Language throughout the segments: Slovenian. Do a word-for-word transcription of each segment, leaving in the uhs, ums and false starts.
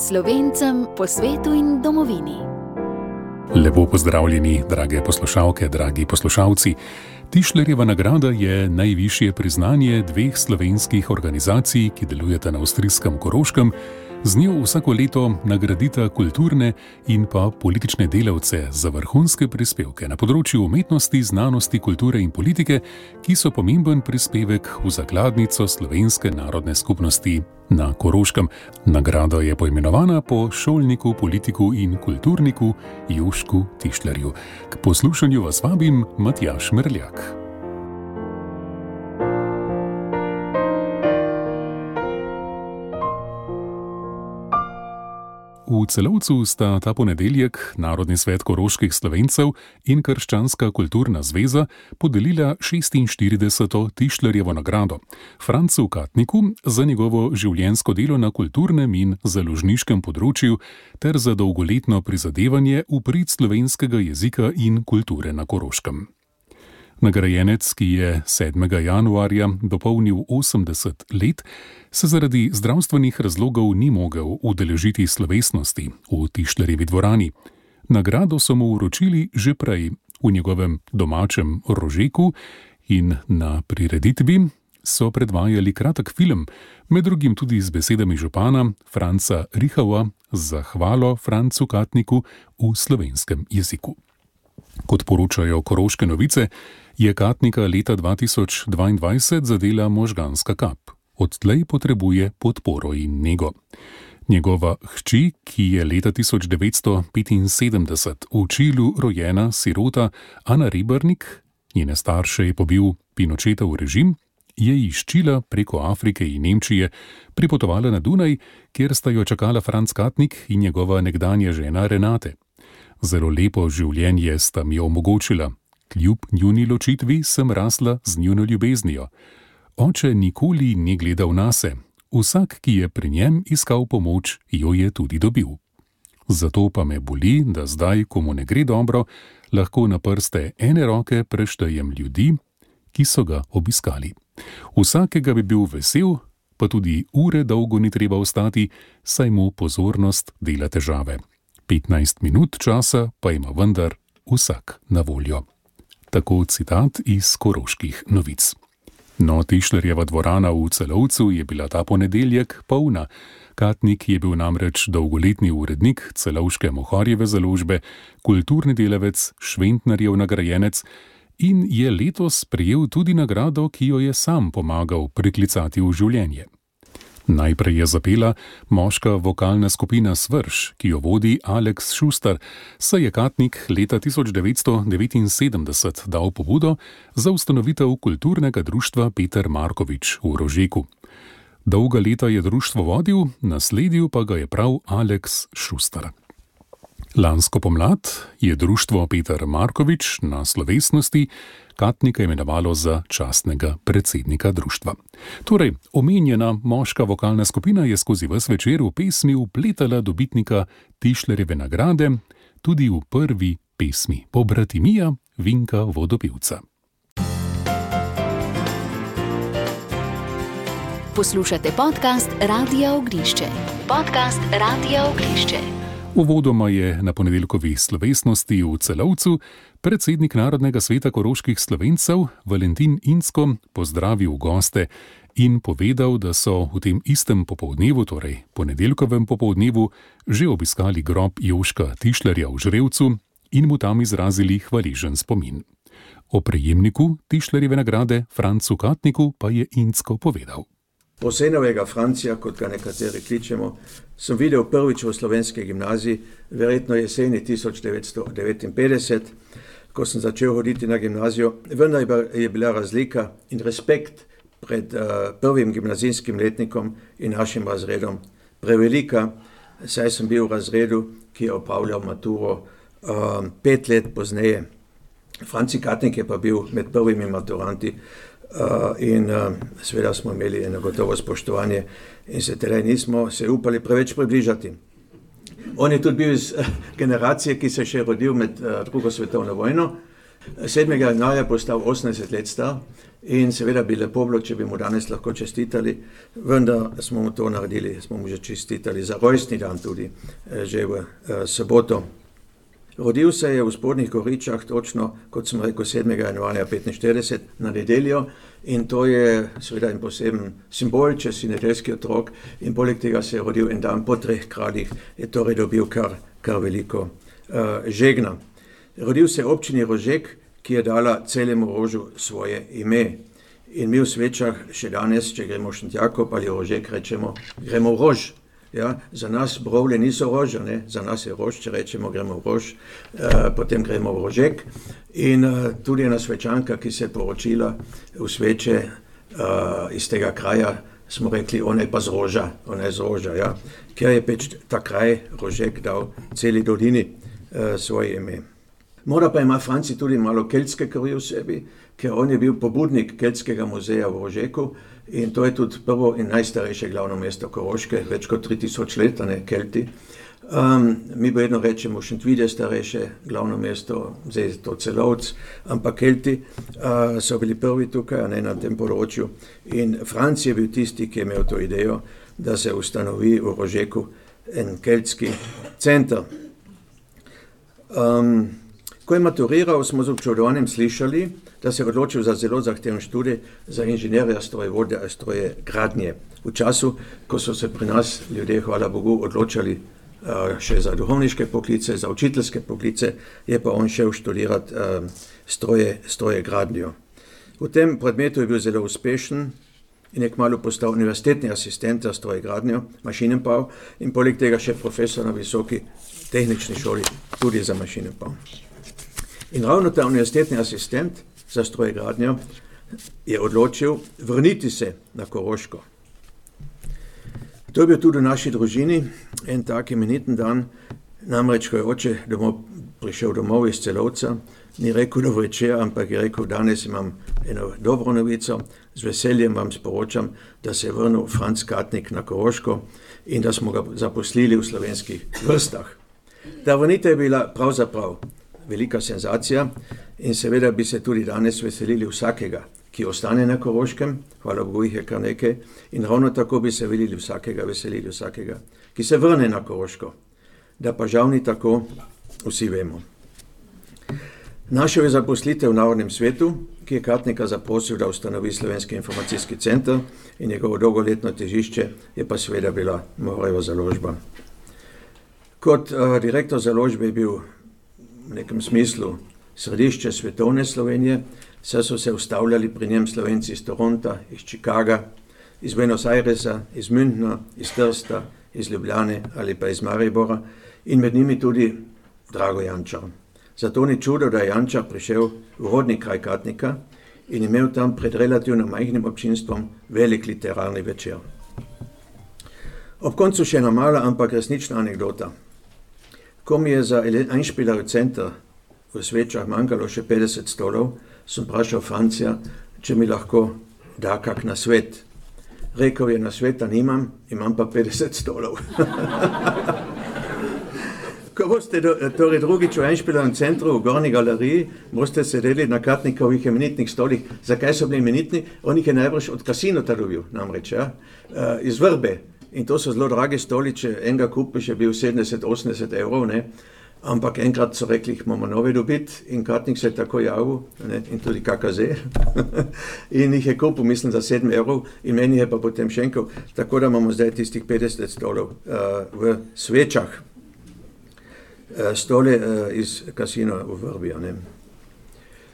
Slovencem po svetu in domovini. Lepo pozdravljeni, drage poslušalke, dragi poslušalci. Tišlerjeva nagrada je najvišje priznanje dveh slovenskih organizacij, ki delujeta na avstrijskem Koroškem. Z njo vsako leto nagradita kulturne in pa politične delavce za vrhunske prispevke na področju umetnosti, znanosti, kulture in politike, ki so pomemben prispevek v zakladnico slovenske narodne skupnosti na Koroškem. Nagrada je poimenovana po šolniku, politiku in kulturniku Jožku Tišlerju. K poslušanju vas vabim Matjaž Merljak. V Celovcu sta ta ponedeljek Narodni svet koroških Slovencev in Krščanska kulturna zveza podelila šestinštirideseto Tišlerjevo nagrado Francu Katniku za njegovo življenjsko delo na kulturnem in založniškem področju ter za dolgoletno prizadevanje v prid slovenskega jezika in kulture na Koroškem. Nagrajenec, ki je sedmega januarja dopolnil osemdeset let, se zaradi zdravstvenih razlogov ni mogel udeležiti slovesnosti v Tišlerjevi dvorani. Nagrado so mu vročili že prej v njegovem domačem Rožeku in na prireditvi so predvajali kratek film, med drugim tudi z besedami župana Franca Rihauja za hvalo Francu Katniku v slovenskem jeziku. Kot poročajo Koroške novice, je Katnika leta dva tisoč dvaindvajset zadela možganska kap. Odtlej potrebuje podporo in nego. Njegova hči, ki je leta tisoč devetsto petinsedemdeset v Čilu rojena sirota Ana Rebernik, njene starše je pobil Pinočetov režim, je iz Čila preko Afrike in Nemčije pripotovala na Dunaj, kjer sta jo čakala Franc Katnik in njegova nekdanja žena Renate. Zelo lepo življenje sta mi omogočila. Kljub njuni ločitvi sem rasla z njuno ljubeznijo. Oče nikoli ni gledal nase. Vsak, ki je pri njem iskal pomoč, jo je tudi dobil. Zato pa me boli, da zdaj, ko mu ne gre dobro, lahko na prste ene roke preštejem ljudi, ki so ga obiskali. Vsakega bi bil vesel, pa tudi ure dolgo ni treba ostati, saj mu pozornost dela težave. petnajst minut časa pa ima vendar vsak na voljo. Tako citat iz Koroških novic. No, Tišlerjeva dvorana v Celovcu je bila ta ponedeljek polna. Katnik je bil namreč dolgoletni urednik celovške Mohorjeve založbe, kulturni delavec, Šventnarjev nagrajenec in je letos prejel tudi nagrado, ki jo je sam pomagal priklicati v življenje. Najprej je zapela moška vokalna skupina Svrš, ki jo vodi Aleks Šustar, saj je Katnik leta tisoč devetsto devetinsedemdeset dal pobudo za ustanovitev kulturnega društva Peter Markovič v Rožeku. Dolga leta je društvo vodil, nasledil pa ga je prav Aleks Šustar. Lansko pomlad je društvo Peter Markovič na slovesnosti Katnika imenovalo za častnega predsednika društva. Torej, omenjena moška vokalna skupina je skozi ves večer v pesmi vpletala dobitnika Tišlerjeve nagrade, tudi v prvi pesmi Pobratimija Vinka Vodopivca. Poslušate podcast Radia Ognišče. Podcast Radia Ognišče. Uvodoma je na ponedeljkovi slovesnosti v Celovcu predsednik Narodnega sveta koroških Slovencev Valentin Incko pozdravil goste in povedal, da so v tem istem popoldnevu, torej ponedeljkovem popoldnevu, že obiskali grob Jožka Tišlerja v Žrevcu in mu tam izrazili hvaležen spomin. O prejemniku Tišlerjeve nagrade Francu Katniku pa je Incko povedal. Posenovega Francija, kot ga nekateri kličemo, sem videl prvič v slovenski gimnaziji, verjetno jeseni tisoč devetsto devetinpetdeset, ko sem začel hoditi na gimnazijo. Vendar je bila razlika in respekt pred uh, prvim gimnazijskim letnikom in našim razredom prevelika, saj sem bil v razredu, ki je opravljal maturo uh, pet let pozneje. Franci Katnik je pa bil med prvimi maturanti. Uh, in uh, seveda smo imeli eno gotovo spoštovanje in se teda nismo se upali preveč približati. On je tudi bil iz uh, generacije, ki se je še rodil med uh, drugo svetovno vojno, sedmega januarja je postal osemdeset let star in seveda bi lepo bilo, če bi mu danes lahko čestitali, vendar smo mu to naredili, smo mu že čestitali za rojstni dan tudi, že v soboto. Rodil se je v Spodnjih Goričah, točno, kot sem rekel, sedmega januarja petinštirideset na nedeljo in to je seveda en poseben simbol, če si nedeljski otrok in poleg tega se je rodil en dan po treh kraljih, je torej dobil kar, kar veliko uh, žegna. Rodil se je v občini Rožek, ki je dala celemu Rožu svoje ime. In mi v Svečah še danes, če gremo v Šentjakov ali v Rožek, rečemo, gremo v Rož. Ja, za nas Brovle niso Roža, ne? Za nas je Rož, če rečemo, gremo v Rož, uh, potem gremo v Rožek. In uh, tudi ena Svečanka, ki se je poročila v Sveče uh, iz tega kraja, smo rekli, ona je pa z Roža, ona je z Roža, ja? Ker je peč ta kraj Rožek dal celi dolini uh, svoje ime. Mora pa ima Franci tudi malo keltske krvi v sebi, ker on je bil pobudnik Keltskega muzeja v Rožeku in to je tudi prvo in najstarejše glavno mesto Koroške, več kot tri tisoč let, ne, Kelti. Um, mi vedno rečemo Šentvid je starejše glavno mesto, zdaj je to Celovc, ampak Kelti uh, so bili prvi tukaj, ne, na tem področju. In Franc je bil tisti, ki je imel to idejo, da se ustanovi v Rožeku en keltski center. Um, Ko je maturiral, smo z občudovanjem slišali, da se je odločil za zelo zahteven študij za inženirja strojevode a stroje gradnje. V času, ko so se pri nas ljudje, hvala Bogu, odločali uh, še za duhovniške poklice, za učiteljske poklice, je pa on šel študirati uh, stroje, stroje gradnjo. V tem predmetu je bil zelo uspešen in je kmalu postal univerzitetni asistent za stroje gradnjo, mašinenbau in poleg tega še profesor na visoki tehnični šoli, tudi za mašinenbau. In ravno ta univerzitetni asistent za strojegradnjo je odločil vrniti se na Koroško. To je bil tudi v naši družini en tak imeniten dan, namreč ko je oče domov, prišel domov iz Celovca, ni rekel dobro večer, ampak je rekel, danes imam eno dobro novico, z veseljem vam sporočam, da se je vrnil Franc Katnik na Koroško in da smo ga zaposlili v slovenskih vrstah. Ta vrnitev je bila pravzaprav velika senzacija in seveda bi se tudi danes veselili vsakega, ki ostane na Koroškem, hvala Bogu jih je kar nekaj, in ravno tako bi se veselili vsakega, veselili vsakega, ki se vrne na Koroško. Da pa žal ni tako, vsi vemo. Našel je zaposlitev v Narodnem svetu, ki je Katnika zaprosil, da ustanovi Slovenski informacijski center in njegovo dolgoletno težišče je pa seveda bila Mohrejeva založba. Kot uh, direktor založbe je bil v nekem smislu središče svetovne Slovenije, saj so se ustavljali pri njem Slovenci iz Toronta, iz Chicaga, iz Buenos Airesa, iz Münchna, iz Trsta, iz Ljubljane ali pa iz Maribora in med njimi tudi Drago Jančar. Zato ni čudo, da je Jančar prišel v rodni kraj Katnika in imel tam pred relativno majhnim občinstvom velik literarni večer. Ob koncu še ena mala, ampak resnična anekdota. Ko mi je za Einspieler center v Svečah manjkalo še petdeset stolov, sem vprašal Francija, če mi lahko da kak nasvet. Rekel je, nasveta nimam, imam pa petdeset stolov. Ko boste do, torej drugič v Einspielerem centru v Gornji galeriji, boste sedeli na Katnikovih imenitnih stolih. Zakaj so bili imenitni? On jih je najbrž od kasinota dobil, namreč, ja? uh, iz Vrbe. In to so zelo dragi stoli, če enega kupiš, je bil sedemdeset osemdeset evrov, ne? Ampak enkrat so rekli, jih moramo nove dobiti in Katnik se je tako javil, ne? In tudi K K Z. In jih je kupil, mislim, za sedem evrov in meni je pa potem šenkel, tako da imamo zdaj tistih petdeset stolov uh, v Svečah. Uh, stole uh, iz kasina v Vrbija, ne?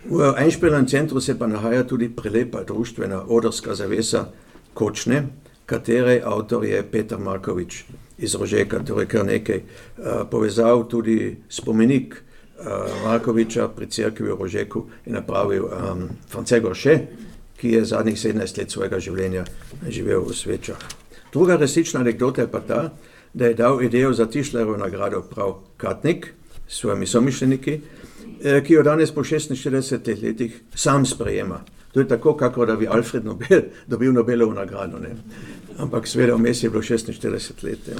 V Einspielerem centru se pa nahaja tudi prelepa društvena odrska zavesa Kočne, katere avtor je Peter Markovič iz Rožeka, torej kar nekaj uh, povezal tudi spomenik uh, Markoviča pri cerkvi v Rožeku in napravil um, France Gorše, ki je zadnjih sedemnajst let svojega življenja živel v Svečah. Druga resnična anekdota je pa ta, da je dal idejo za Tischlerovo nagrado prav Katnik s svojimi somišljeniki, eh, ki jo danes po šestinštiridesetih letih sam sprejema. To je tako, kako da bi Alfred Nobel dobil Nobelovo nagrado, ne? Ampak seveda vmes je bilo šestinštirideset let. Ja.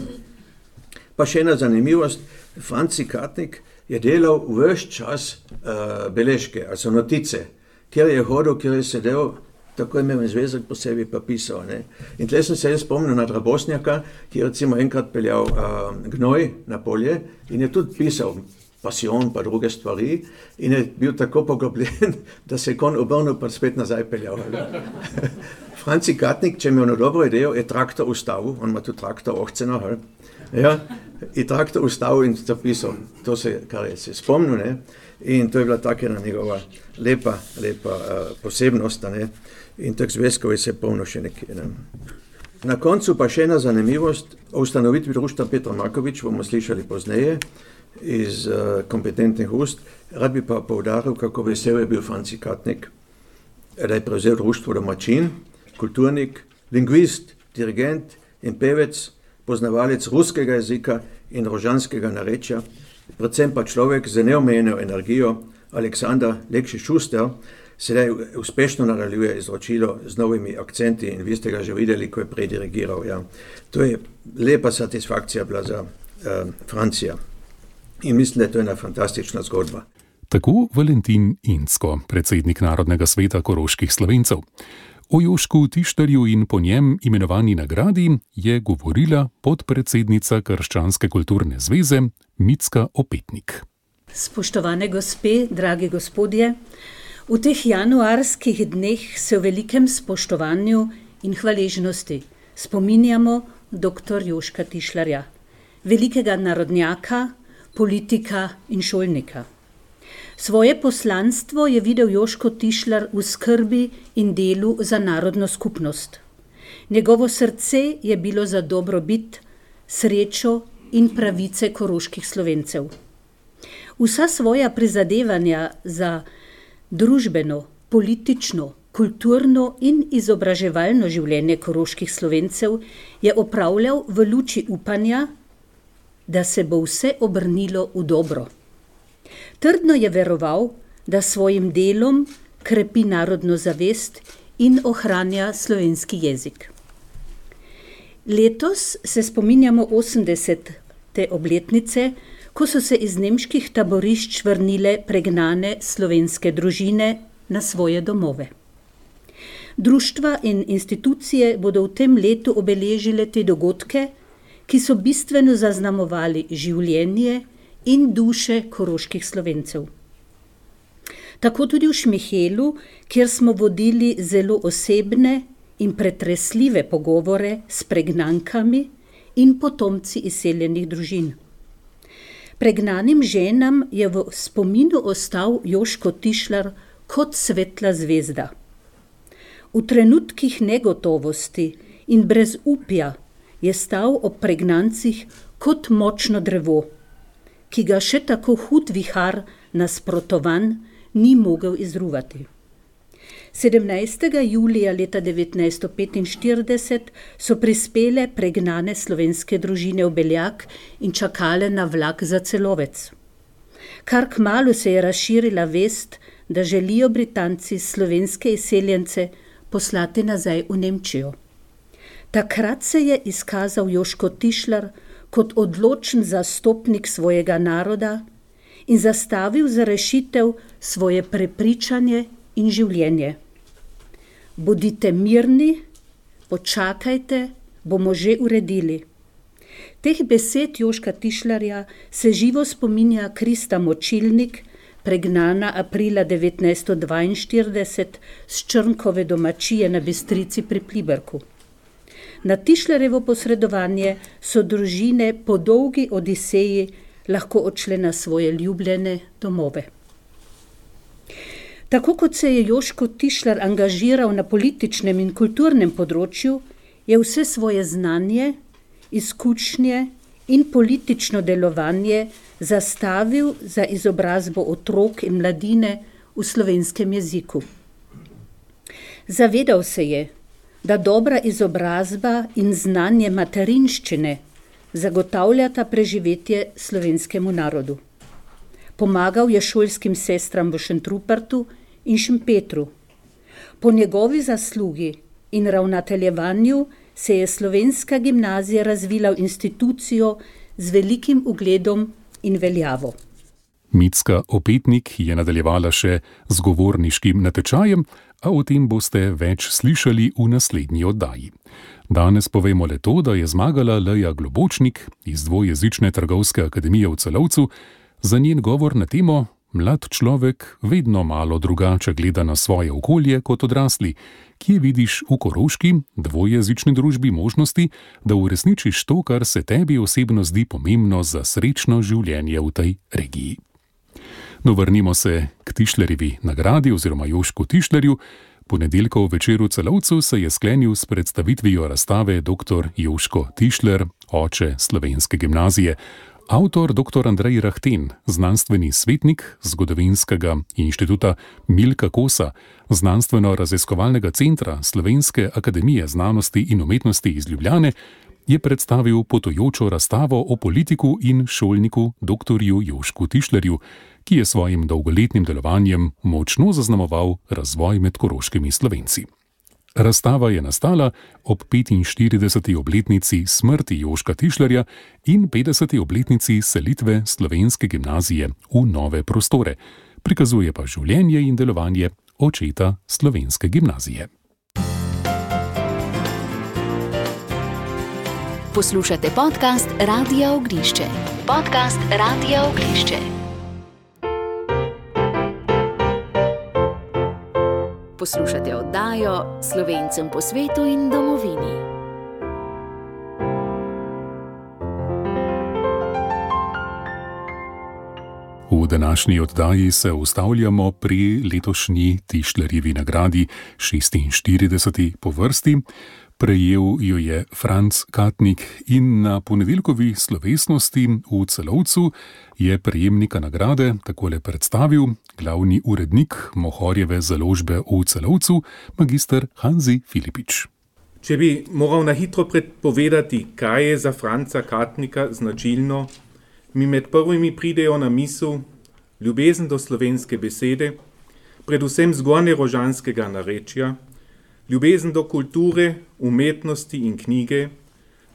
Pa še ena zanimivost, Franci Katnik je delal vse čas uh, beležke, also notice, kjer je hodil, kjer je sedel, tako je imel zvezek posebej pa pisal. Ne? In tle sem se jaz spomnil na Drabosnjaka, ki je recimo enkrat peljal uh, gnoj na polje in je tudi pisal Pasion pa druge stvari in je bil tako poglobljen, da se je kon obrnil pa spet nazaj peljal. Franci Katnik, če je imel dobro idejo, je traktor ustavil, on ima tu traktor ohceno, ja, je traktor ustavil in zapisal, to se, kar je se spomnil, ne? In to je bila taka njegova lepa, lepa uh, posebnost, ne? In teh zvezkov je se polno še nekaj. Ne? Na koncu pa še ena zanimivost, o ustanovitvi društva Petra Markovič bomo slišali pozneje iz uh, kompetentnih ust. Rad bi pa poudaril, kako vesel je bil Franci Katnik, da je prevzel društvo domačin, kulturnik, lingvist, dirigent in pevec, poznavalec ruskega jezika in rožanskega narečja, predvsem pa človek z neomejeno energijo, Aleksandar Lekšič-Šuster, sedaj uspešno nadaljuje izročilo z novimi akcenti in vi ste ga že videli, ko je predirigiral. Ja. To je lepa satisfakcija bila za uh, Francija in mislim, da je to ena fantastična zgodba. Tako Valentin Incko, predsednik Narodnega sveta koroških Slovencev. O Jošku Tišlerju in po njem imenovani nagradi je govorila podpredsednica Krščanske kulturne zveze Micka Opetnik. Spoštovane gospe, dragi gospodje, v teh januarskih dneh se v velikem spoštovanju in hvaležnosti spominjamo doktor Joška Tišlerja, velikega narodnjaka, politika in šolnika. Svoje poslanstvo je videl Joško Tišler v skrbi in delu za narodno skupnost. Njegovo srce je bilo za dobrobit, srečo in pravice koroških Slovencev. Vsa svoja prizadevanja za družbeno, politično, kulturno in izobraževalno življenje koroških Slovencev je opravljal v luči upanja, da se bo vse obrnilo v dobro. Trdno je veroval, da svojim delom krepi narodno zavest in ohranja slovenski jezik. Letos se spominjamo osemdesete obletnice, ko so se iz nemških taborišč vrnile pregnane slovenske družine na svoje domove. Društva in institucije bodo v tem letu obeležile te dogodke, ki so bistveno zaznamovali življenje in duše koroških Slovencev. Tako tudi v Šmihelu, kjer smo vodili zelo osebne in pretresljive pogovore s pregnankami in potomci izseljenih družin. Pregnanim ženam je v spominu ostal Joško Tišler kot svetla zvezda. V trenutkih negotovosti in brezupja je stal ob pregnancih kot močno drevo, ki ga še tako hud vihar nasprotovan ni mogel izruvati. sedemnajstega julija leta devetnajststo petinštirideset so prispele pregnane slovenske družine v Beljak in čakale na vlak za Celovec. Kar kmalu se je razširila vest, da želijo Britanci slovenske izseljence poslati nazaj v Nemčijo. Takrat se je izkazal Joško Tišler kot odločen zastopnik svojega naroda in zastavil za rešitev svoje prepričanje in življenje. Bodite mirni, počakajte, bomo že uredili. Teh besed Joška Tišlerja se živo spominja Krista Močilnik, pregnana aprila devetnajststo dvainštirideset s Črnkove domačije na Bistrici pri Pliberku. Na Tišlerjevo posredovanje so družine po dolgi odiseji lahko odšle na svoje ljubljene domove. Tako kot se je Joško Tišler angažiral na političnem in kulturnem področju, je vse svoje znanje, izkušnje in politično delovanje zastavil za izobrazbo otrok in mladine v slovenskem jeziku. Zavedal se je, da dobra izobrazba in znanje materinščine zagotavljata preživetje slovenskemu narodu. Pomagal je šolskim sestram v Šentrupertu in Šempetru. Po njegovi zaslugi in ravnateljevanju se je slovenska gimnazija razvila v institucijo z velikim ugledom in veljavo. Micka Opetnik je nadaljevala še z govorniškim natečajem, a o tem boste več slišali v naslednji oddaji. Danes povemo le to, da je zmagala Leja Globočnik iz dvojezične trgovske akademije v Celovcu za njen govor na temo Mlad človek vedno malo drugače gleda na svoje okolje kot odrasli. Kje vidiš v koroški dvojezični družbi možnosti, da uresničiš to, kar se tebi osebno zdi pomembno za srečno življenje v tej regiji? No, vrnimo se k Tišlerjevi nagradi oziroma Jožku Tišlerju. Ponedeljkov večer v Celovcu se je sklenil s predstavitvijo razstave doktor Jožko Tišler, oče slovenske gimnazije. Avtor doktor Andrej Rahten, znanstveni svetnik Zgodovinskega inštituta Milka Kosa, znanstveno-raziskovalnega centra Slovenske akademije znanosti in umetnosti iz Ljubljane, je predstavil potujočo razstavo o politiku in šolniku doktorju Jožku Tišlerju, ki je svojim dolgoletnim delovanjem močno zaznamoval razvoj med koroškimi Slovenci. Razstava je nastala ob petinštirideseti obletnici smrti Jožka Tišlerja in petdeseti obletnici selitve slovenske gimnazije v nove prostore. Prikazuje pa življenje in delovanje očeta slovenske gimnazije. Poslušate podcast Radia Ognišče. Podcast Radia Ognišče. Poslušate oddajo Slovencem po svetu in domovini. V današnji oddaji se ustavljamo pri letošnji Tišlerjevi nagradi, šestinštirideseti po vrsti. Prejel jo je Franc Katnik in na ponedeljkovi slovesnosti v Celovcu je prejemnika nagrade takole predstavil glavni urednik Mohorjeve založbe v Celovcu, magister Hanzi Filipič. Če bi moral na hitro predpovedati, kaj je za Franca Katnika značilno, mi med prvimi pridejo na misel ljubezen do slovenske besede, predvsem zgornjerožanskega narečja, ljubezen do kulture, umetnosti in knjige,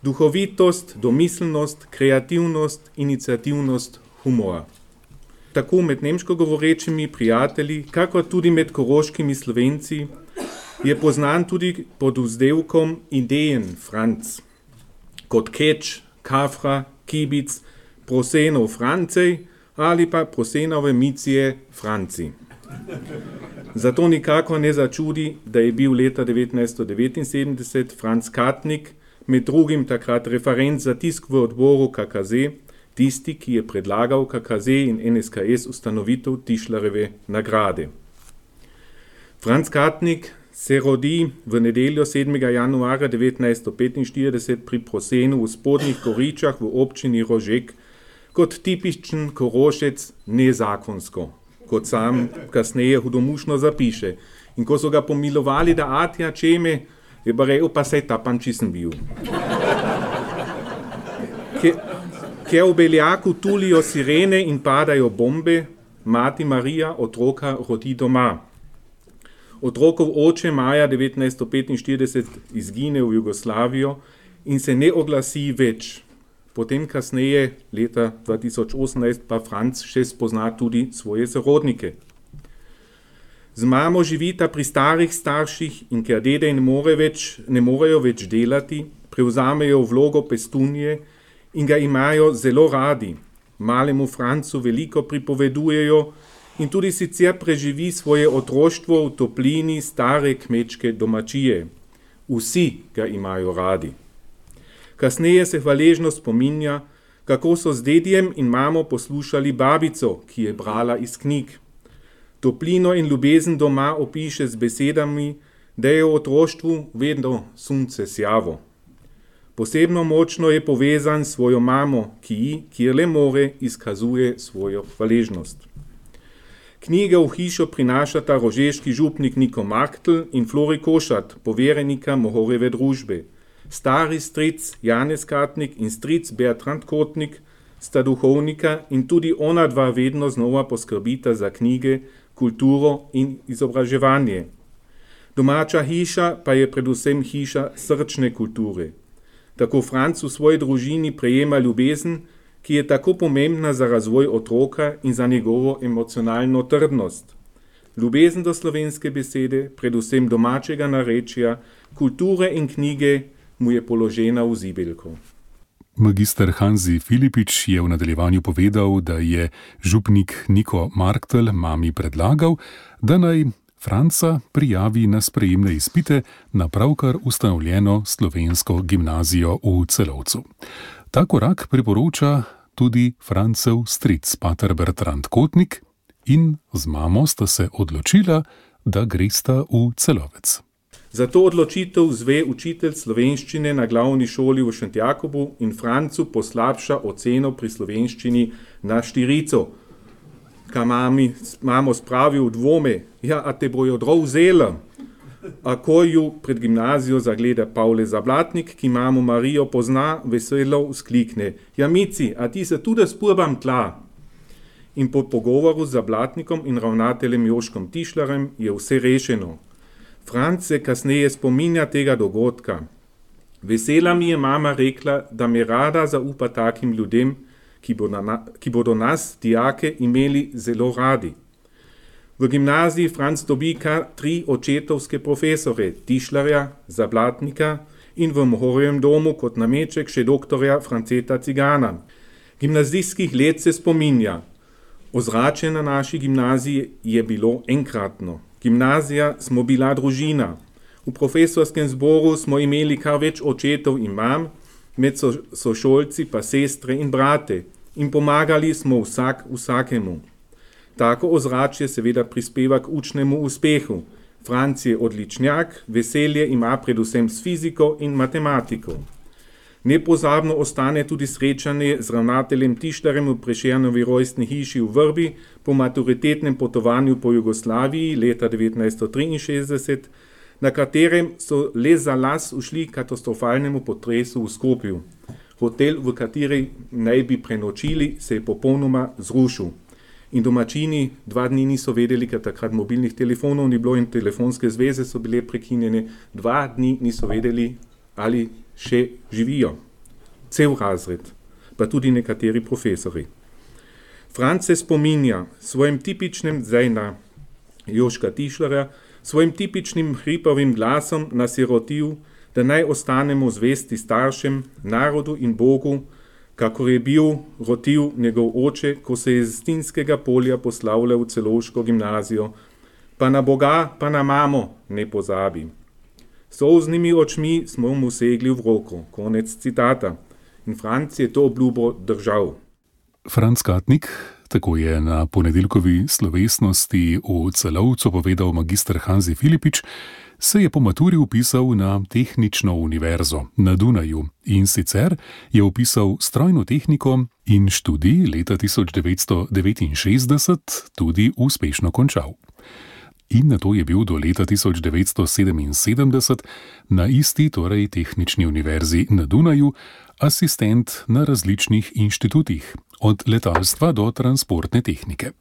duhovitost, domiselnost, kreativnost, iniciativnost, humor. Tako med nemško govorečimi prijatelji, kakor tudi med koroškimi Slovenci, je poznan tudi pod vzdevkom Idejen Franc. Kot keč, kafra, kibic, prosenov Francej ali pa prosenove micije Franci. Zato nikako ne začudi, da je bil leta devetnajststo devetinsedemdeset Franc Katnik med drugim takrat referent za tisk v odboru K K Z, tisti, ki je predlagal K K Z in N S K S ustanovitev Tišlerjeve nagrade. Franc Katnik se rodi v nedeljo sedmega januarja devetnajststo petinštirideset pri Prosenu v Spodnjih Goričah v občini Rožek kot tipičen Korošec nezakonsko, kot sam kasneje hudomušno zapiše. In ko so ga pomilovali, da atja čeme, je pa rekel, pa sej tapan čisen bil. Ker v Beljaku tulijo sirene in padajo bombe, mati Marija otroka rodi doma. Otrokov oče maja devetnajststo petinštirideset izgine v Jugoslavijo in se ne oglasi več. Potem kasneje, leta dva tisoč osemnajst, pa Franc še spozna tudi svoje sorodnike. Z mamo živita pri starih starših in ker dede ne, more več, ne morejo več delati, prevzamejo vlogo pestunje in ga imajo zelo radi. Malemu Francu veliko pripovedujejo in tudi sicer preživi svoje otroštvo v toplini stare kmečke domačije. Vsi ga imajo radi. Kasneje se hvaležno spominja, kako so z dedjem in mamo poslušali babico, ki je brala iz knjig. Toplino in ljubezen doma opiše z besedami, da je v otroštvu vedno sunce sjavo. Posebno močno je povezan s svojo mamo, ki ji, kjer le more, izkazuje svojo hvaležnost. Knjige v hišo prinašata rožeški župnik Niko Marktl in Flori Košat, poverenika Mohorjeve družbe. Stari stric Janez Katnik in stric Bertrand Kotnik sta duhovnika in tudi ona dva vedno znova poskrbita za knjige, kulturo in izobraževanje. Domača hiša pa je predvsem hiša srčne kulture. Tako Franc v svoji družini prejema ljubezen, ki je tako pomembna za razvoj otroka in za njegovo emocionalno trdnost. Ljubezen do slovenske besede, predvsem domačega narečja, kulture in knjige mu je položena v zibelko. Magister Hanzi Filipič je v nadaljevanju povedal, da je župnik Niko Marktl mami predlagal, da naj Franca prijavi na sprejemne izpite na pravkar ustanovljeno slovensko gimnazijo v Celovcu. Ta korak priporoča tudi Francev stric pater Bertrand Kotnik in z mamo sta se odločila, da gresta v Celovec. Za to odločitev zve učitelj slovenščine na glavni šoli v Šentjakobu in Francu poslabša oceno pri slovenščini na štirico. Ka mami, mamo spravi v dvome, ja, a te bojo drov vzela. A ko ju pred gimnazijo zagleda Pavle Zablatnik, ki mamo Marijo pozna, veselo vzklikne. Ja, Mici, a ti se tudi spurbam tla? In po pogovoru z Zablatnikom in ravnateljem Joškom Tišlarjem je vse rešeno. Franc se kasneje spominja tega dogodka. Vesela mi je mama rekla, da me rada zaupa takim ljudem, ki, bo na, ki bodo nas, dijake, imeli zelo radi. V gimnaziji Franc dobi kar tri očetovske profesore, Tišlarja, Zablatnika in v Mohorjevem domu kot nameček še doktorja Franceta Cigana. Gimnazijskih let se spominja. Ozračje na naši gimnaziji je bilo enkratno. Gimnazija smo bila družina. V profesorskem zboru smo imeli kar več očetov in mam, med sošolci pa sestre in brate in pomagali smo vsak vsakemu. Tako ozračje seveda prispeva k učnemu uspehu. Franc je odličnjak, veselje ima predvsem s fiziko in matematiko. Nepozabno ostane tudi srečanje z ravnateljem Tišlarjem v Prešernovi rojstni hiši v Vrbi po maturitetnem potovanju po Jugoslaviji leta devetnajststo triinšestdeset, na katerem so le za las ušli katastrofalnemu potresu v Skopju. Hotel, v kateri naj bi prenočili, se je popolnoma zrušil. In domačini dva dni niso vedeli, ker takrat mobilnih telefonov ni bilo in telefonske zveze so bile prekinjene. Dva dni niso vedeli, ali še živijo. Cel razred, pa tudi nekateri profesori. Franc se spominja svojim tipičnim, zdaj na Joška Tišlarja, svojim tipičnim hripavim glasom nasirotil, da naj ostanemo zvesti staršem, narodu in Bogu, kakor je bil rotil njegov oče, ko se je z Stinskega polja poslavljal v Celovško gimnazijo. Pa na Boga, pa na mamo ne pozabi. Solznimi očmi smo mu segli v roko. Konec citata. In Franc je to obljubo držal. Franc Katnik, tako je na ponedeljkovi slovesnosti v Celovcu povedal magister Hanzi Filipič, se je po maturi vpisal na Tehnično univerzo na Dunaju in sicer je vpisal strojno tehniko in študij leta tisoč devetsto devetinšestdeset tudi uspešno končal. In nato je bil do leta tisoč devetsto sedeminsedemdeset na isti, torej Tehnični univerzi na Dunaju, asistent na različnih inštitutih, od letalstva do transportne tehnike.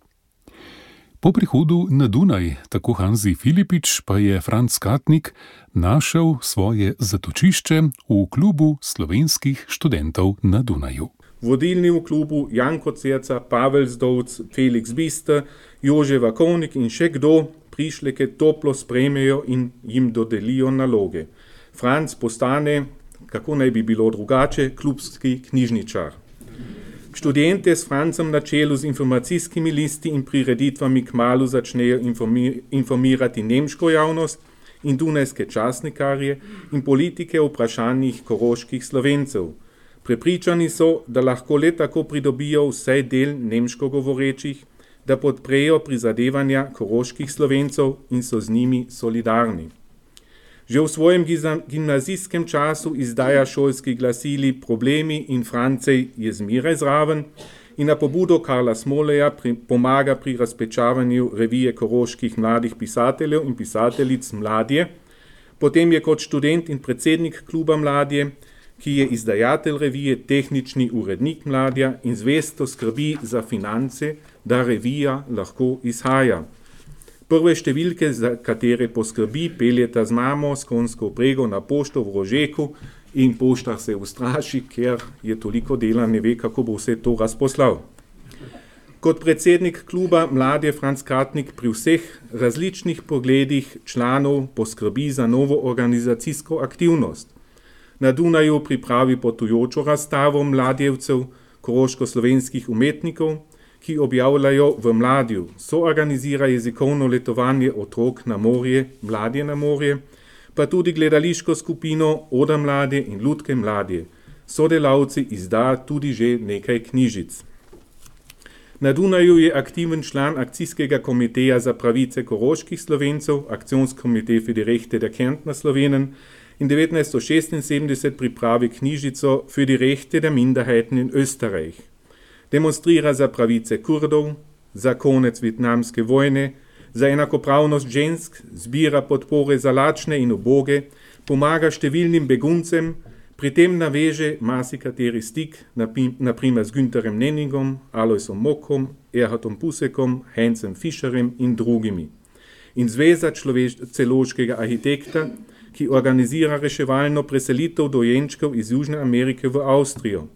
Po prihodu na Dunaj, tako Hanzi Filipič, pa je Franc Katnik našel svoje zatočišče v klubu slovenskih študentov na Dunaju. Vodilni v klubu Janko Cerca, Pavel Zdovc, Felix Biste, Jože Vakovnik in še kdo prišleke toplo sprejmejo in jim dodelijo naloge. Franc postane, kako naj bi bilo drugače, klubski knjižničar. Študente s Francem na čelu z informacijskimi listi in prireditvami kmalu začnejo informirati nemško javnost in dunajske časnikarje in politike o vprašanjih koroških Slovencev. Prepričani so, da lahko le tako pridobijo vsaj del nemško govorečih, da podprejo prizadevanja koroških Slovencev in so z njimi solidarni. Že v svojem gimnazijskem času izdaja šolski glasili Problemi in Francej je zmeraj zraven in na pobudo Karla Smoleja pri, pomaga pri razpečavanju revije koroških mladih pisateljev in pisateljic Mladje. Potem je kot študent in predsednik kluba Mladje, ki je izdajatelj revije, tehnični urednik Mladja in zvesto skrbi za finance, da revija lahko izhaja. Prve številke, za katere poskrbi, peljeta z mamo s konjsko vprego na pošto v Rožeku in poštar se ustraši, ker je toliko dela, ne ve, kako bo vse to razposlal. Kot predsednik kluba Mladi Franc Katnik pri vseh različnih pogledih članov poskrbi za novo organizacijsko aktivnost. Na Dunaju pripravi potujočo razstavo mladjevcev, koroško-slovenskih umetnikov, ki objavljajo v Mladju, soorganizira jezikovno letovanje otrok na morje, Mladje na morje, pa tudi gledališko skupino Oda Mladje in Lutke Mladje. Sodelavci izda tudi že nekaj knjižic. Na Dunaju je aktiven član akcijskega komiteja za pravice koroških Slovencev, Aktionskomite für die Rechte der Kärntner Slowenen, in devetnajststo šestinsedemdeset pripravi knjižico Für die Rechte der Minderheiten in Österreich. Demonstrira za pravice Kurdov, za konec vietnamske vojne, za enakopravnost žensk, zbira podpore za lačne in uboge, pomaga številnim beguncem, pri tem naveže marsikateri stik, naprimer z Günterjem Nenningom, Alojsom Mokom, Erhardom Pusekom, Heinzem Fischerem in drugimi. In zveza celoškega arhitekta, ki organizira reševalno preselitev dojenčkov iz Južne Amerike v Avstrijo.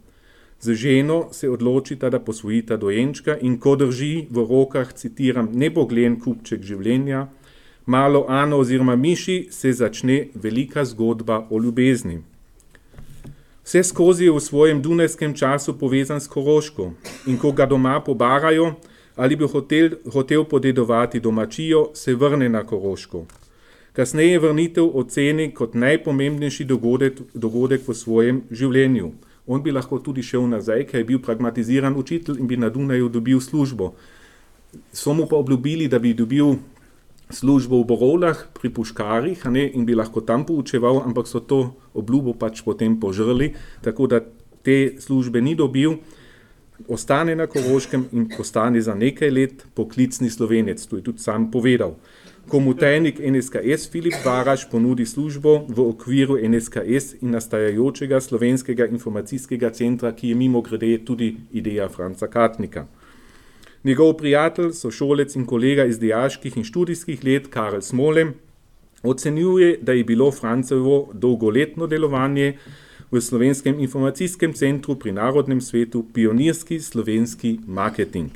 Z ženo se odločita, da posvojita dojenčka in ko drži v rokah, citiram, neboglen kupček življenja, malo Ano oziroma Miši, se začne velika zgodba o ljubezni. Vse skozi je v svojem dunajskem času povezan s Koroško in ko ga doma pobarajo ali bi hotel, hotel podedovati domačijo, se vrne na Koroško. Kasneje vrnitev oceni kot najpomembnejši dogodek, dogodek v svojem življenju. On bi lahko tudi šel nazaj, ker je bil pragmatiziran učitelj in bi na Dunaju dobil službo. So mu pa obljubili, da bi dobil službo v Borovlah pri puškarjih, ne, in bi lahko tam poučeval, ampak so to obljubo pač potem požrli, tako da te službe ni dobil, ostane na Koroškem in postane za nekaj let poklicni Slovenec, to je tudi sam povedal. Ko mu tajnik N S K S Filip Baraš ponudi službo v okviru N S K S in nastajajočega slovenskega informacijskega centra, ki je mimogrede tudi ideja Franca Katnika. Njegov prijatelj, sošolec in kolega iz dijaških in študijskih let Karel Smole ocenjuje, da je bilo Francovo dolgoletno delovanje v Slovenskem informacijskem centru pri Narodnem svetu pionirski slovenski marketing.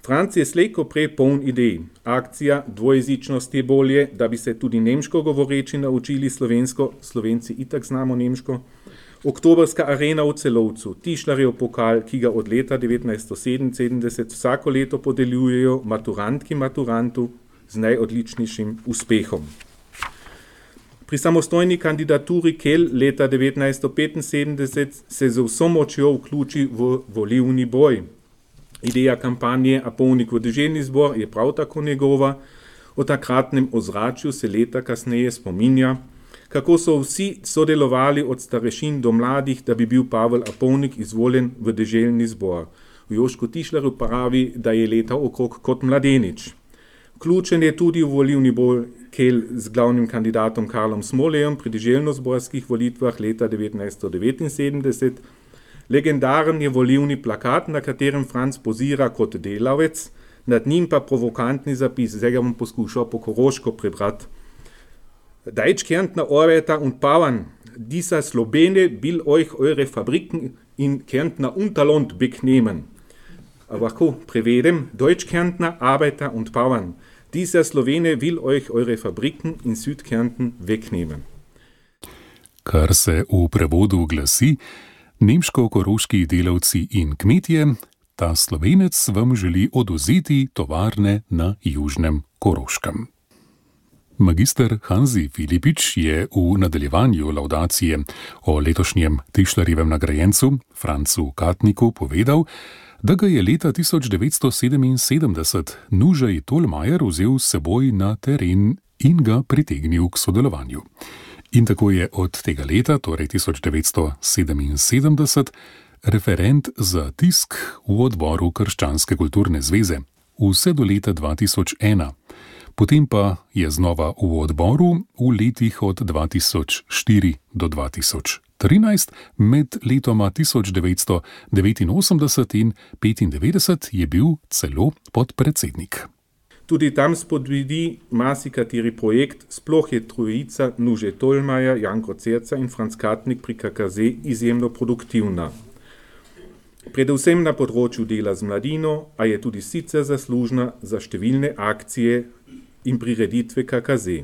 Franc je slej ko prej poln idej. Akcija dvojezičnost je bolje, da bi se tudi nemško govoreči naučili slovensko, Slovenci itak znamo nemško. Oktobrska arena v Celovcu, Tišlarjev pokal, ki ga od leta devetnajststo sedeminsedemdeset vsako leto podeljujejo maturantki maturantu z najodličnejšim uspehom. Pri samostojni kandidaturi Kel leta devetnajststo petinsedemdeset se z vso močjo vključi v volilni boj. Ideja kampanje A polnik v deželni zbor je prav tako njegova. O takratnem ozračju se leta kasneje spominja, kako so vsi sodelovali od starešin do mladih, da bi bil Pavel Apolnik izvoljen v deželni zbor. V Jožku Tišlerju pravi, da je letal okrog kot mladenič. Vključen je tudi v volilni boj Kel z glavnim kandidatom Karlom Smolejem pri deželno-zborskih volitvah leta devetnajststo devetinsedemdeset. Legendaren je volilni plakat, na katerem Franc pozira kot delavec, nad njim pa provokantni zapis, zdaj ga bom poskušal po koroško prebrati. Deutsch-Kärntner Arbeiter und Bauern, dieser Slowene will euch eure Fabriken in Kärntner Unterland wegnehmen. Aber ko prevedem, Deutsch-Kärntner Arbeiter und Bauern, dieser Slowene will euch eure Fabriken in Südkärnten wegnehmen. Kar se v prevodu glasi, nemško-koroški delavci in kmetje, ta Slovenec vam želi odvzeti tovarne na Južnem Koroškem. Magister Hanzi Filipič je v nadaljevanju laudacije o letošnjem Tišlarjevem nagrajencu Francu Katniku povedal, da ga je leta tisoč devetsto sedeminsedemdeset Nužej Tolmajer vzel s seboj na teren in ga pritegnil k sodelovanju. In tako je od tega leta, torej tisoč devetsto sedeminsedemdeset, referent za tisk v odboru Krščanske kulturne zveze, vse do leta dva tisoč ena. Potem pa je znova v odboru v letih od dva tisoč štiri do dva tisoč trinajst, med letoma tisoč devetsto devetinosemdeset in petindevetdeset je bil celo podpredsednik. Tudi tam spodbudi marsikateri projekt, sploh je trojica Nuže Tolmaja, Janko Cerca in Franc Katnik pri K K Z izjemno produktivna. Predvsem na področju dela z mladino, a je tudi sicer zaslužna za številne akcije in prireditve K K Z.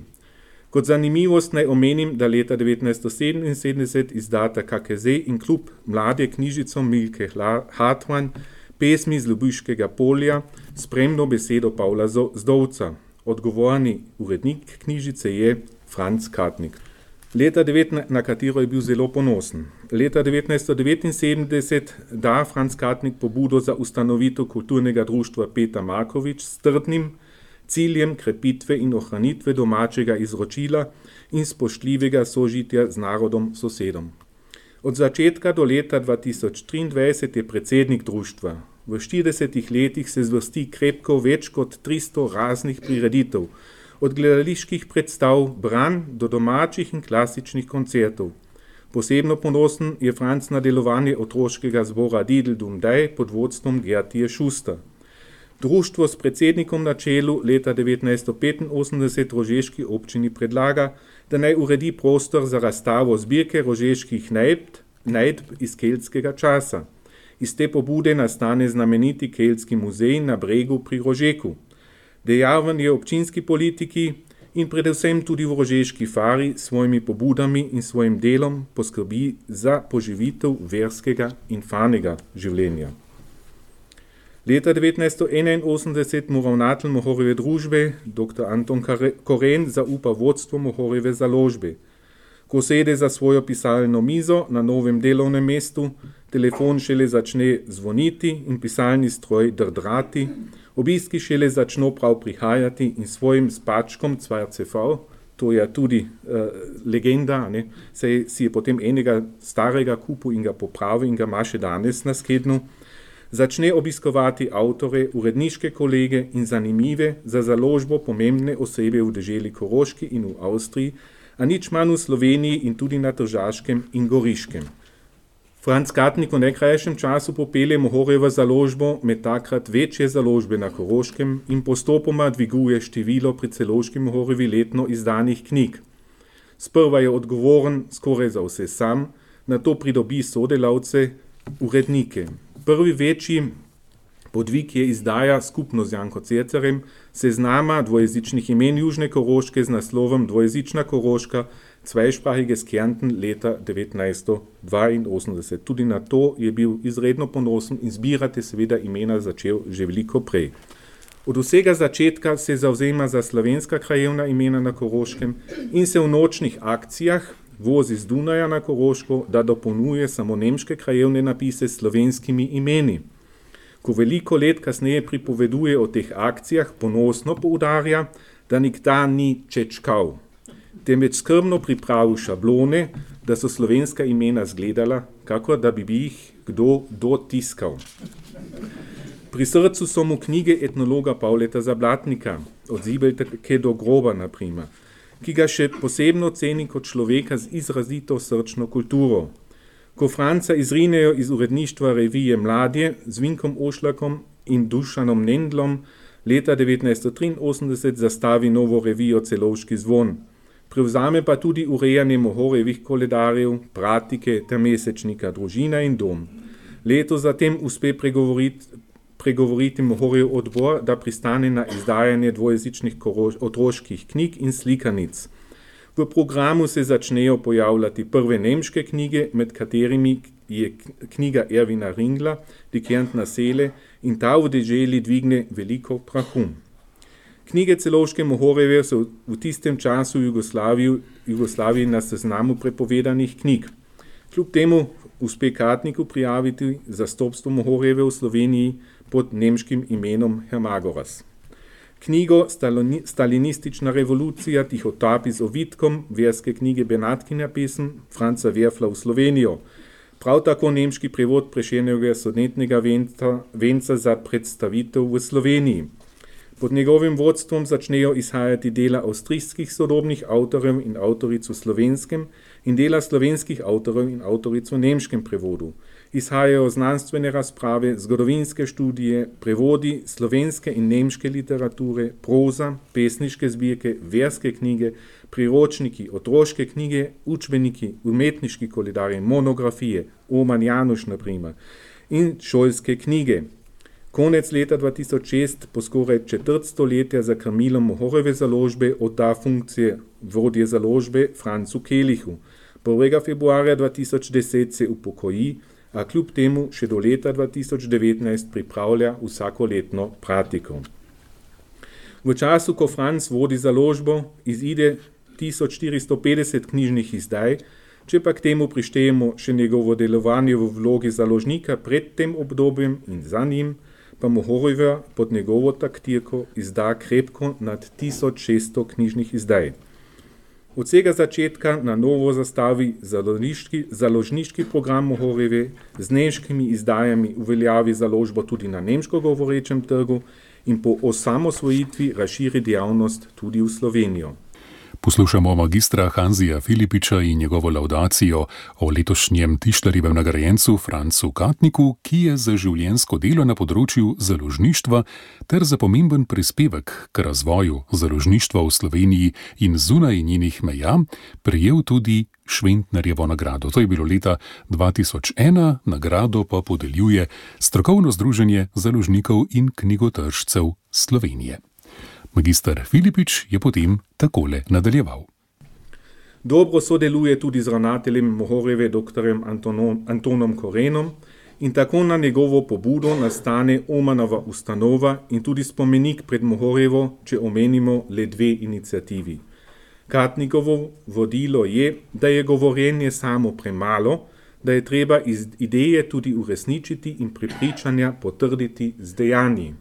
Kot zanimivost naj omenim, da leta devetnajststo sedeminsedemdeset izdata K K Z in klub Mlade knjižico Milke Hartmann pesmi z Ljubiškega polja, spremno besedo Pavla Zdovca. Odgovorni urednik knjižice je Franc Katnik. Leta devetnajst, na katero je bil zelo ponosen. Leta devetnajststo devetinsedemdeset da Franc Katnik pobudo za ustanovitev kulturnega društva Peter Markovič s trdnim ciljem krepitve in ohranitve domačega izročila in spoštljivega sožitja z narodom sosedom. Od začetka do leta dva tisoč triindvajset je predsednik društva. V štiridesetih letih se zvrsti krepko več kot tristo raznih prireditev, od gledaliških predstav, branj do domačih in klasičnih koncertov. Posebno ponosen je Franc na delovanje otroškega zbora Didel Dum Daj pod vodstvom Gertije Šusta. Društvo s predsednikom na čelu leta devetnajststo petinosemdeset rožeški občini predlaga, da naj uredi prostor za razstavo zbirke rožeških najdb, najdb iz keltskega časa. Iz te pobude nastane znameniti keltski muzej na Bregu pri Rožeku. Dejaven je občinski politiki in predvsem tudi v Rožeški fari s svojimi pobudami in svojim delom poskrbi za poživitev verskega in fanega življenja. Leta devetnajststo enainosemdeset mu ravnatelj Mohorjeve družbe, doktor Anton Koren, zaupa vodstvo Mohorjeve založbe. Ko sede za svojo pisalno mizo na novem delovnem mestu, telefon šele začne zvoniti in pisalni stroj drdrati, obiski šele začno prav prihajati in svojim spačkom Cvarcev, to je tudi uh, legenda, ne, saj si je potem enega starega kupu in ga popravi in ga ima še danes na skednu, začne obiskovati avtore, uredniške kolege in zanimive za založbo pomembne osebe v deželi Koroški in v Avstriji, a nič manj v Sloveniji in tudi na Tržaškem in Goriškem. Franc Katnik v najkrajšem času popelje Mohorjevo založbo med takrat večje založbe na Koroškem in postopoma dviguje število pri celovški Mohorjevi letno izdanih knjig. Sprva je odgovoren skoraj za vse sam, nato pridobi sodelavce, urednike. Prvi večji podvig je izdaja skupno z Janko Cercerjem seznama dvojezičnih imen Južne Koroške z naslovom Dvojezična Koroška, Zweisprachiges Kärnten leta devetnajststo dvainosemdeset. Tudi na to je bil izredno ponosen in zbirati seveda imena začel že veliko prej. Od vsega začetka se zavzema za slovenska krajevna imena na Koroškem in se v nočnih akcijah vozi z Dunaja na Koroško, da dopolnjuje samo nemške krajevne napise s slovenskimi imeni. Ko veliko let kasneje pripoveduje o teh akcijah, ponosno poudarja, da nikdar ni čečkal, temveč skrbno pripravil šablone, da so slovenska imena zgledala, kakor da bi jih kdo dotiskal. Pri srcu so mu knjige etnologa Pavleta Zablatnika, od Zibelke do groba na primer, ki ga še posebno ceni kot človeka z izrazito srčno kulturo. Ko Franca izrinejo iz uredništva revije Mladje z Vinkom Ošlakom in Dušanom Nendlom, leta devetnajststo triinosemdeset zastavi novo revijo Celovški zvon. Prevzame pa tudi urejanje Mohorjevih koledarjev, pratike ter mesečnika Družina in dom. Leto zatem uspe pregovoriti, pregovoriti Mohorjev odbor, da pristane na izdajanje dvojezičnih koroš, otroških knjig in slikanic. V programu se začnejo pojavljati prve nemške knjige, med katerimi je knjiga Ervina Ringla, Die Kärntner Seele, in ta v deželi dvigne veliko prahu. Knjige Celovške Mohorjeve so v tistem času v Jugoslaviji, Jugoslaviji na seznamu prepovedanih knjig. Kljub temu uspe Katniku prijaviti zastopstvo Mohorjeve v Sloveniji pod nemškim imenom Hermagoras. Knjigo Stalinistična revolucija tihotapi z ovitkom, verske knjige Benatkinja pesem Franca Werfla v Slovenijo. Prav tako nemški prevod Prešernovega sonetnega venca, venca za predstavitev v Sloveniji. Pod njegovim vodstvom začnejo izhajati dela avstrijskih sodobnih avtorjev in avtoric v slovenskem in dela slovenskih avtorjev in avtoric v nemškem prevodu. izhajajo znanstvene razprave, zgodovinske študije, prevodi slovenske in nemške literature, proza, pesniške zbirke, verske knjige, priročniki, otroške knjige, učbeniki, umetniški koledarji, monografije, Oman Januš na primer, in šolske knjige. Konec leta dva tisoč šest, po skoraj četrt stoletja za krmilom Mohorjeve založbe, odda funkcije vodje založbe Francu Kelihu. prvega februarja dva tisoč deset se upokoji, a kljub temu še do leta dva tisoč devetnajst pripravlja vsakoletno pratiko. V času, ko Franc vodi založbo, izide tisoč štiristo petdeset knjižnih izdaj, če pa k temu prištejemo še njegovo delovanje v vlogi založnika pred tem obdobjem in za njim, pa Mohorjeva pod njegovo taktirko izda krepko nad tisoč šeststo knjižnih izdaj. Od vsega začetka na novo zastavi založniški, založniški program Mohorjeve, z nemškimi izdajami uveljavi založbo tudi na nemško govorečem trgu in po osamosvojitvi razširi dejavnost tudi v Slovenijo. Poslušamo magistra Hanzija Filipiča in njegovo laudacijo o letošnjem Tišlerjevem nagrajencu Francu Katniku, ki je za življenjsko delo na področju založništva ter za pomemben prispevek k razvoju založništva v Sloveniji in zunaj njenih meja prejel tudi Šventnerjevo nagrado. To je bilo leta dva tisoč ena, nagrado pa podeljuje Strokovno združenje založnikov in knjigotržcev Slovenije. Magister Filipič je potem takole nadaljeval. Dobro sodeluje tudi z ravnateljem Mohorjeve doktorjem Antonom, Antonom Korenom in tako na njegovo pobudo nastane Omanova ustanova in tudi spomenik pred Mohorjevo, če omenimo le dve iniciativi. Katnikovo vodilo je, da je govorjenje samo premalo, da je treba iz ideje tudi uresničiti in prepričanja potrditi z dejanji.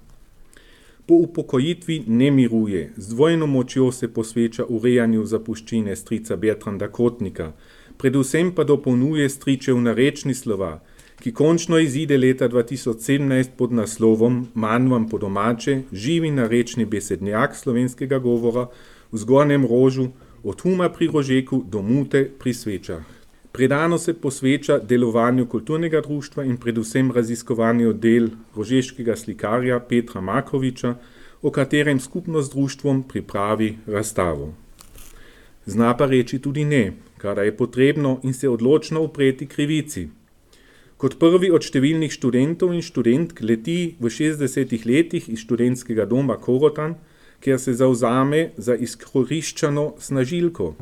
Po upokojitvi ne miruje, z dvojno močjo se posveča urejanju zapuščine strica Bertranda Kotnika, predvsem pa dopolnjuje stričev narečni slova, ki končno izide leta dva tisoč sedemnajst pod naslovom Manj vam po domače, živi narečni besednjak slovenskega govora v Zgornjem Rožu, od huma pri Rožeku do mute pri svečah. Predano se posveča delovanju kulturnega društva in predvsem raziskovanju del rožeškega slikarja Petra Makoviča, o katerem skupno z društvom pripravi razstavo. Zna pa reči tudi ne, kada je potrebno in se odločno upreti krivici. Kot prvi od številnih študentov in študentk leti v šestdesetih letih iz študentskega doma Korotan, kjer se zavzame za izkoriščano snažilko.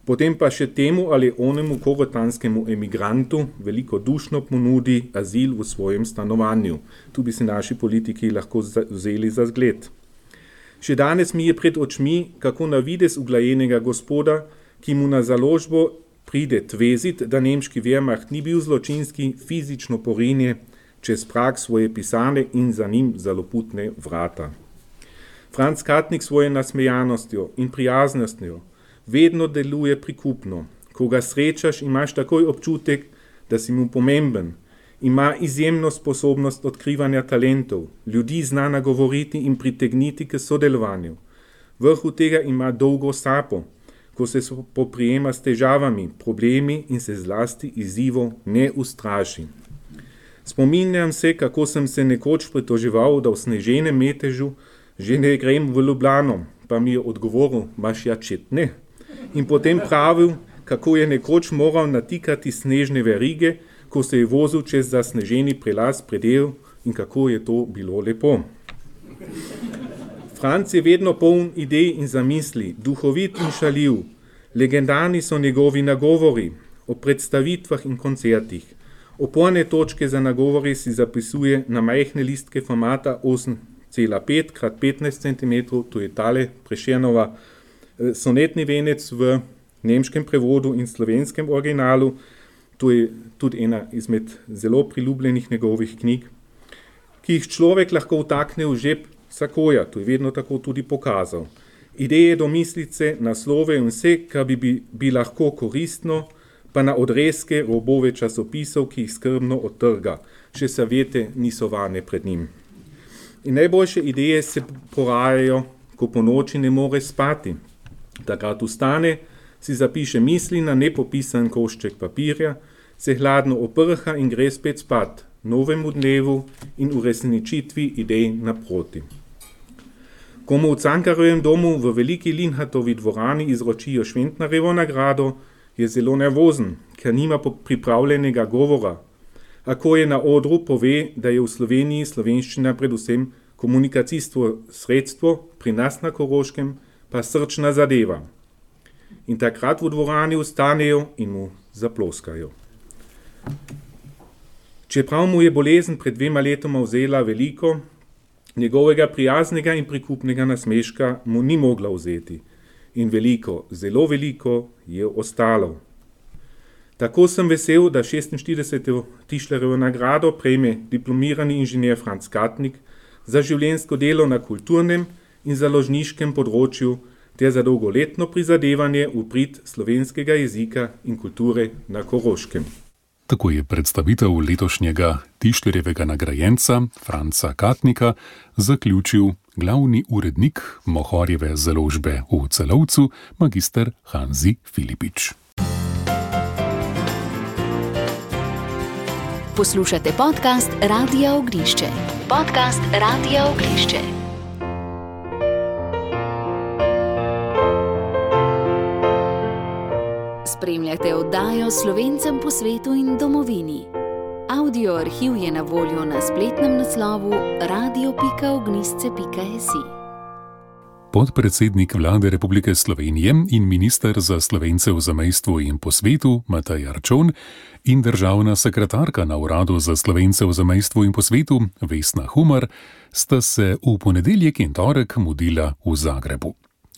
Potem pa še temu ali onemu korotanskemu emigrantu veliko dušno ponudi azil v svojem stanovanju. Tu bi se naši politiki lahko vzeli za zgled. Še danes mi je pred očmi, kako na videz uglajenega gospoda, ki mu na založbo pride tvezit, da nemški Wehrmacht ni bil zločinski, fizično porinje čez prag svoje pisane in za njim zaloputne vrata. Franc Katnik svoje nasmejanostjo in prijaznostjo vedno deluje prikupno. Ko ga srečaš, imaš takoj občutek, da si mu pomemben. Ima izjemno sposobnost odkrivanja talentov, ljudi zna nagovoriti in pritegniti k sodelovanju. Vrhu tega ima dolgo sapo, ko se poprijema s težavami, problemi in se zlasti izzivov ne ustraši. Spominjam se, kako sem se nekoč pritoževal, da v sneženem metežu že ne grem v Ljubljano, pa mi je odgovoril, baš ja čet ne. In potem pravil, kako je nekoč moral natikati snežne verige, ko se je vozil čez zasneženi prelaz predel in kako je to bilo lepo. Franc je vedno poln idej in zamisli, duhovit in šaljiv. Legendarni so njegovi nagovori o predstavitvah in koncertih. Oporne točke za nagovore si zapisuje na majhne listke formata osem cela pet krat petnajst centimetrov, to je tale Prešernova sonetni venec v nemškem prevodu in slovenskem originalu. To je tudi ena izmed zelo priljubljenih njegovih knjig, ki jih človek lahko vtakne v žep sakoja, to je vedno tako tudi pokazal. Ideje, domislice, naslove in vse, kar bi, bi, bi lahko koristno, pa na odrezke robove časopisov, ki jih skrbno odtrga. Še savjete niso varne pred njim. In najboljše ideje se porajajo, ko po noči ne more spati. Takrat vstane, si zapiše misli na nepopisan košček papirja, se hladno oprha in gre spet spat, novemu dnevu in uresničitvi idej naproti. Komu v Cankarjevem domu v veliki Linhartovi dvorani izročijo Šventnarjevo nagrado, je zelo nervozen, ker nima pripravljenega govora. A ko je na odru, pove, da je v Sloveniji slovenščina predvsem komunikacijsko sredstvo, pri nas na Koroškem pa srčna zadeva. In takrat v dvorani vstanejo in mu zaploskajo. Čeprav mu je bolezen pred dvema letoma vzela veliko, njegovega prijaznega in prikupnega nasmeška mu ni mogla vzeti. In veliko, zelo veliko je ostalo. Tako sem vesel, da šestinštirideseto Tischlerjevo nagrado prejme diplomirani inženir Franc Katnik za življenjsko delo na kulturnem in založniškem področju ter za dolgoletno prizadevanje v prid slovenskega jezika in kulture na Koroškem. Tako je predstavitev letošnjega Tischlerjevega nagrajenca Franca Katnika zaključil glavni urednik Mohorjeve založbe v Celovcu, magister Hanzi Filipič. Poslušate podcast Radia Ognišče. Podcast Radia Ognišče. Spremljate oddajo Slovencem po svetu in domovini. Audio arhiv je na voljo na spletnem naslovu radio pika ognisce pika si. Podpredsednik Vlade Republike Slovenije in minister za Slovence v zamejstvu in po svetu Matej Arčon in državna sekretarka na Uradu za Slovence v zamejstvu in po svetu Vesna Humar sta se v ponedeljek in torek mudila v Zagrebu.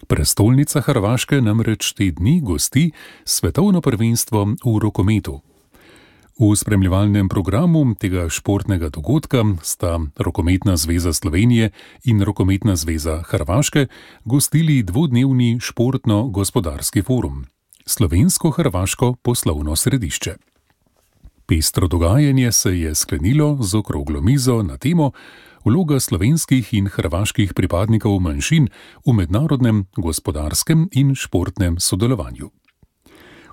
Prestolnica Hrvaške namreč te dni gosti svetovno prvenstvo v rokometu. V spremljevalnem programu tega športnega dogodka sta Rokometna zveza Slovenije in Rokometna zveza Hrvaške gostili dvodnevni športno-gospodarski forum, Slovensko-hrvaško poslovno središče. Pestro dogajanje se je sklenilo z okroglo mizo na temo Vloga slovenskih in hrvaških pripadnikov manjšin v mednarodnem gospodarskem in športnem sodelovanju.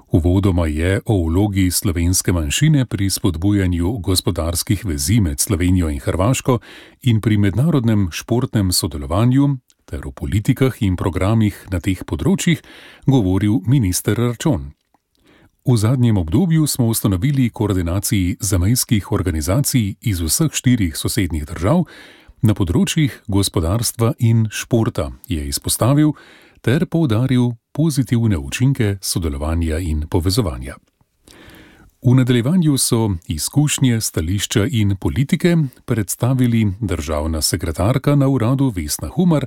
Uvodoma je o vlogi slovenske manjšine pri spodbujanju gospodarskih vezi med Slovenijo in Hrvaško in pri mednarodnem športnem sodelovanju ter o politikah in programih na teh področjih govoril minister Arčon. V zadnjem obdobju smo ustanovili koordinaciji zamejskih organizacij iz vseh štirih sosednjih držav na področjih gospodarstva in športa, je izpostavil ter poudaril pozitivne učinke sodelovanja in povezovanja. V nadaljevanju so izkušnje, stališča in politike predstavili državna sekretarka na uradu Vesna Humar,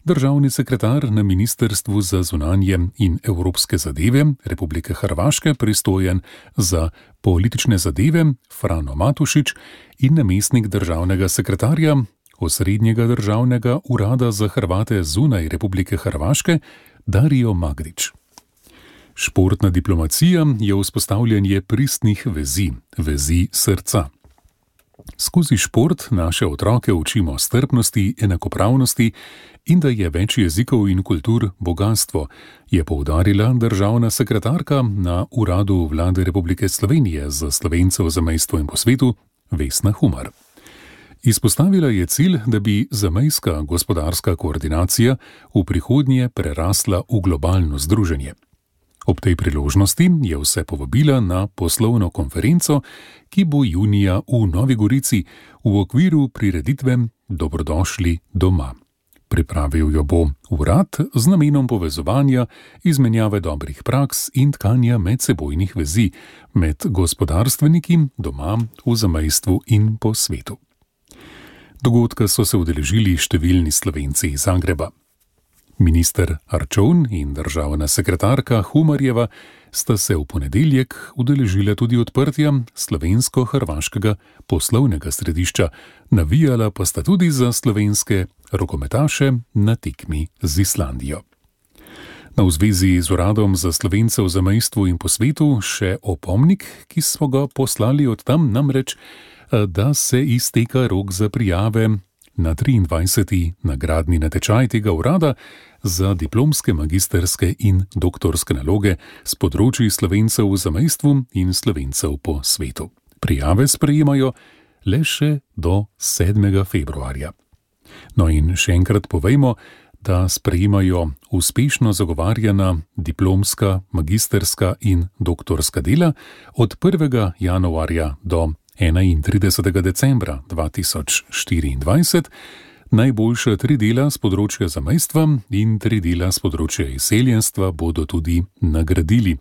državni sekretar na Ministrstvu za zunanje in evropske zadeve Republike Hrvaške pristojen za politične zadeve Frano Matušič in namestnik državnega sekretarja Osrednjega državnega urada za Hrvate zunaj Republike Hrvaške Dario Magrič. Športna diplomacija je vzpostavljanje pristnih vezi, vezi srca. Skozi šport naše otroke učimo strpnosti, enakopravnosti in da je več jezikov in kultur bogastvo, je poudarila državna sekretarka na Uradu Vlade Republike Slovenije za Slovence v zamejstvu in po svetu Vesna Humar. Izpostavila je cilj, da bi zamejska gospodarska koordinacija v prihodnje prerasla v globalno združenje. Ob tej priložnosti je vse povabila na poslovno konferenco, ki bo junija v Novi Gorici v okviru prireditve Dobrodošli doma. Pripravil jo bo urad z namenom povezovanja, izmenjave dobrih praks in tkanja medsebojnih vezi med gospodarstveniki doma v zamejstvu in po svetu. Dogodka so se udeležili številni Slovenci iz Zagreba. Minister Arčon in državna sekretarka Humarjeva sta se v ponedeljek udeležila tudi odprtja slovensko-hrvaškega poslovnega središča, navijala pa sta tudi za slovenske rokometaše na tekmi z Islandijo. Na v zvezi z Uradom za Slovence v zamejstvu in po svetu še opomnik, ki smo ga poslali od tam, namreč, da se izteka rok za prijave na triindvajseti nagradni natečaj tega urada za diplomske, magisterske in doktorske naloge s področji Slovencev v zamejstvu in Slovencev po svetu. Prijave sprejemajo le še do sedmega februarja. No in še enkrat povejmo, da sprejemajo uspešno zagovarjana diplomska, magisterska in doktorska dela od prvega januarja do enaintridesetega decembra dva tisoč štiriindvajset, najboljša tri dela s področja zamejstva in tri dela s področja izseljenstva bodo tudi nagradili.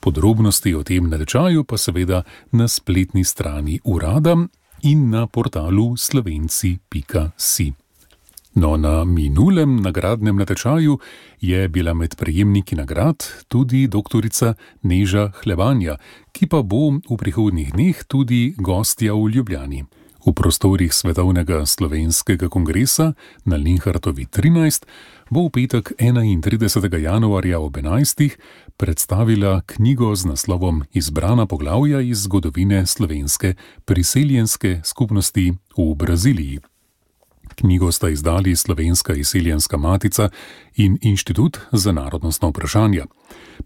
Podrobnosti o tem natečaju pa seveda na spletni strani urada in na portalu slovenci pika si. No, na minulem nagradnem natečaju je bila med prejemniki nagrad tudi doktorica Neža Hlevanja, ki pa bo v prihodnjih dneh tudi gostja v Ljubljani. V prostorih Svetovnega slovenskega kongresa na Linhartovi trinajst bo v petek enaintridesetega januarja ob enajstih predstavila knjigo z naslovom Izbrana poglavja iz zgodovine slovenske priseljenske skupnosti v Braziliji. Knjigo sta izdali Slovenska izseljenska matica in Inštitut za narodnostna vprašanja.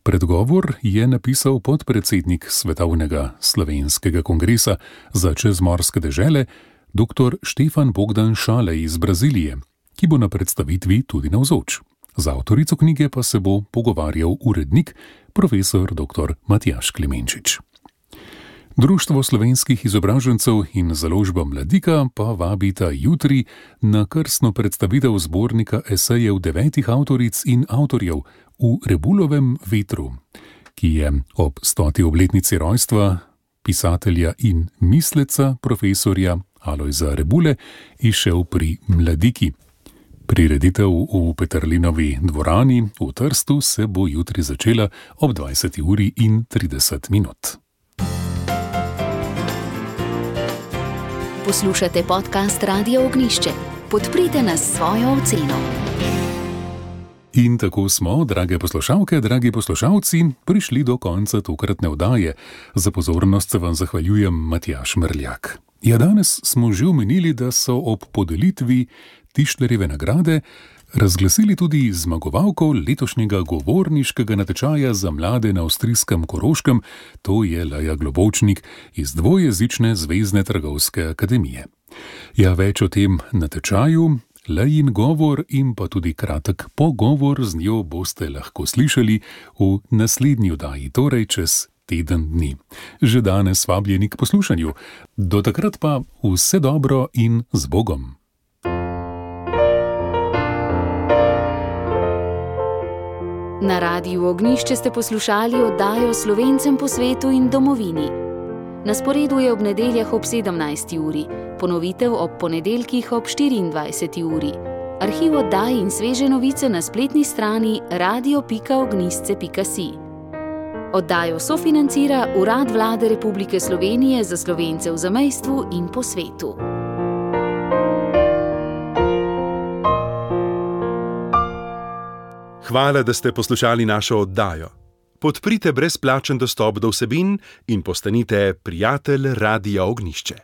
Predgovor je napisal podpredsednik Svetovnega slovenskega kongresa za čezmorske dežele dr. Štefan Bogdan Šalej iz Brazilije, ki bo na predstavitvi tudi navzoč. Z avtorico knjige pa se bo pogovarjal urednik profesor dr. Matjaž Klemenčič. Društvo slovenskih izobražencev in založba Mladika pa vabita jutri na krstno predstavitev zbornika esejev devetih avtoric in avtorjev v Rebulovem vetru, ki je ob stoti obletnici rojstva pisatelja in misleca profesorja Alojza Rebule izšel pri Mladiki. Prireditev v Peterlinovi dvorani v Trstu se bo jutri začela ob dvajseti uri in trideset minut. Poslušate podcast Radia Ognjišče. Podprite nas s svojo oceno. In tako smo, drage poslušalke, dragi poslušalci, prišli do konca tokratne oddaje. Za pozornost se vam zahvaljujem Matjaž Mrljak. Ja, danes smo že omenili, da so ob podelitvi Tišlerjeve nagrade razglasili tudi zmagovalko letošnjega govorniškega natečaja za mlade na avstrijskem Koroškem, to je Lea Globovčnik iz dvojezične Zvezne trgovske akademije. Ja, več o tem natečaju, Lein govor in pa tudi kratek pogovor z njo boste lahko slišali v naslednji oddaji, torej čez teden dni. Že danes vabljeni k poslušanju. Do takrat pa vse dobro in z Bogom. Na Radiu Ognjišče ste poslušali oddajo Slovencem po svetu in domovini. Na sporedu je ob nedeljah ob sedemnajsti uri, ponovitev ob ponedeljkih ob štiriindvajseti uri. Arhiv oddaj in sveže novice na spletni strani radio pika ognjisce pika si. Oddajo sofinancira Urad Vlade Republike Slovenije za Slovence v zamejstvu in po svetu. Hvala, da ste poslušali našo oddajo. Podprite brezplačen dostop do vsebin in postanite prijatelj Radia Ognjišče.